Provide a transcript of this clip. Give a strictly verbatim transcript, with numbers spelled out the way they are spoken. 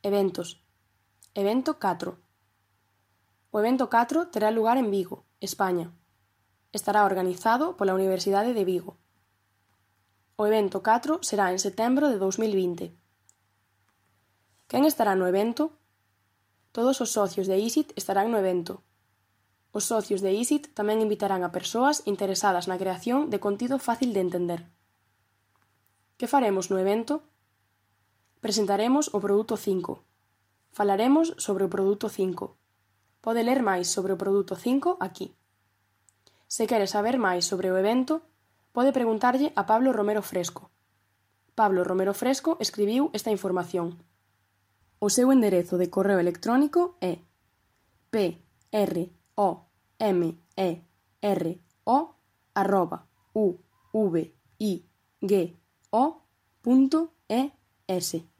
Eventos. Evento catro. O evento catro terá lugar en Vigo, España. Estará organizado pola Universidade de Vigo. O evento catro será en setembro de dous mil vinte. Quen estará no evento? Todos os socios de I S I T estarán no evento. Os socios de I S I T tamén invitarán a persoas interesadas na creación de contido fácil de entender. Que faremos no evento? Presentaremos o produto cinco. Falaremos sobre o produto cinco. Pode ler máis sobre o produto cinco aquí. Se quere saber máis sobre o evento, pode preguntarlle a Pablo Romero Fresco. Pablo Romero Fresco escribiu esta información. O seu enderezo de correo electrónico é p r o m e r o arroba u v i g o punto e s.